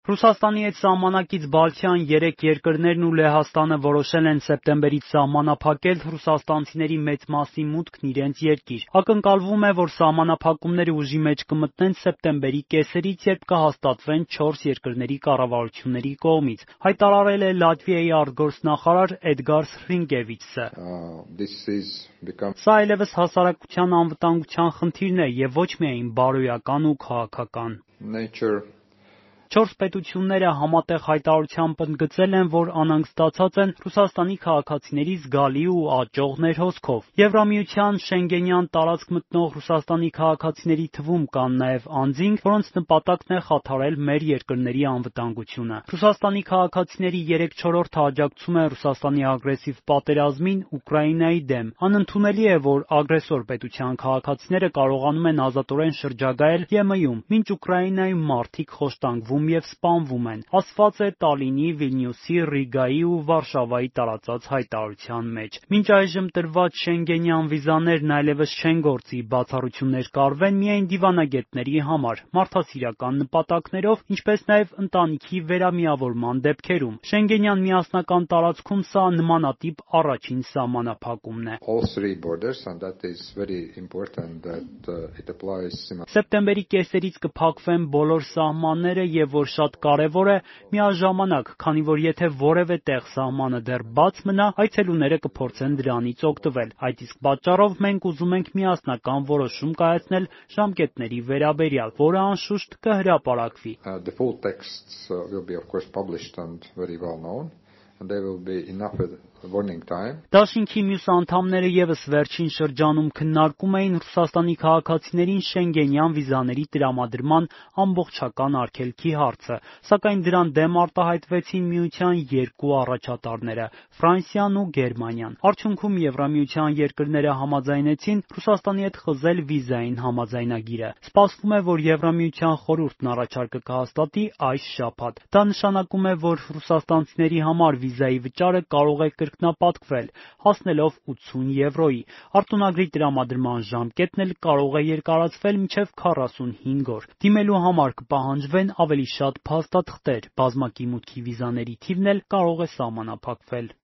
Ռուսաստանի հետ սահմանակից բալթյան 3 երկրներն ու Լեհաստանը որոշել են սեպտեմբերից սահմանափակել ռուսաստանցիների մեծ մասի մուտքն իրենց երկիր։ Ակնկալվում է, որ սահմանափակումները ուժի մեջ կմտնեն սեպտեմբերի կեսերից, երբ կհաստատվեն 4 երկրների կառավարությունների կողմից, հայտարարել է Լատվիայի արտգործնախարար Էդգար Սրինկևիչսը։ Սա այլևս հասարակության անվտանգության խնդիրն է եւ ոչ միայն բարոյական ու քաղաքական։ 4 պետությունները համատեղ հայտարարությամբ ընդգծել են, որ անհանգստացած են Ռուսաստանի քաղաքացիների զգալի ու աճող ներհոսքով։ Եվրամիության Շենգենյան տարածք մտնող Ռուսաստանի քաղաքացիների թվում կան նաև անձինք, որոնց նպատակն է խաթարել մեր երկրների անվտանգությունը։ Ռուսաստանի քաղաքացիների 3/4-ը աջակցում են Ռուսաստանի ագրեսիվ պատերազմին Ուկրաինայի դեմ։ Անընդունելի է, որ ագրեսոր պետության քաղաքացիները կարողանում են ազատորեն շրջագայել ԵՄ-ում, մինչ Ուկրաինայում մարդիկ խոշտանգվում եւ սպանվում են, ասված է Տալինի, Վիլնյուսի, Ռիգայի ու Վարշավայի տարածած հայտարարության մեջ։ Մինչ այժմ տրված շենգենյան վիզաներն այլևս չեն գործի, բացառություններ կարվեն միայն դիվանագետների համար, մարդասիրական նպատակներով, ինչպես նաև ընտանիքի վերամիավորման դեպքերում։ Շենգենյան միասնական տարածքում սա նմանատիպ առաջին սահմանափակումն է։ Սեպտեմբերի կեսերից կփակվեն բոլոր սահմանները եւ որ շատ կարևոր է, միաժամանակ, քանի որ եթե որևէ տեղ սահմանը դեռ բաց մնա, այցելուները կփորձեն դրանից օգտվել։ Այդ իսկ պատճառով մենք ուզում ենք միասնական որոշում կայացնել ժամկետների վերաբերյալ, որը անշուշտ կհրապարակվի։ Դաշինքի մյուս անդամները ևս վերջին շրջանում քննարկում էին Ռուսաստանի քաղաքացիներին շենգենյան վիզաների տրամադրման ամբողջական արգելքի հարցը, սակայն դրան դեմ արտահայտվեցին միության 2 առաջատարները՝ Ֆրանսիան ու Գերմանիան։ Արդյունքում Եվրամիության երկրները համաձայնեցին Ռուսաստանի հետ խզել վիզային համաձայնագիրը։ Սպասվում է, որ Եվրամիության խորհուրդն առաջարկը կհաստատի այս շաբաթ։ Դա նշանակում է, որ ռուսաստանցիների համար վիզայի վճարը կարող է կրկնապատկվել, հասնելով 80 եվրոյի։ Արտոնագրի տրամադրման ժամկետն էլ կարող է երկարացվել մինչև 45 օր։ Դիմելու համար կպահանջվեն ավելի շատ փաստաթղթեր, բազմակի մուտքի վիզաների թիվն էլ կարող է սահմանափակվել։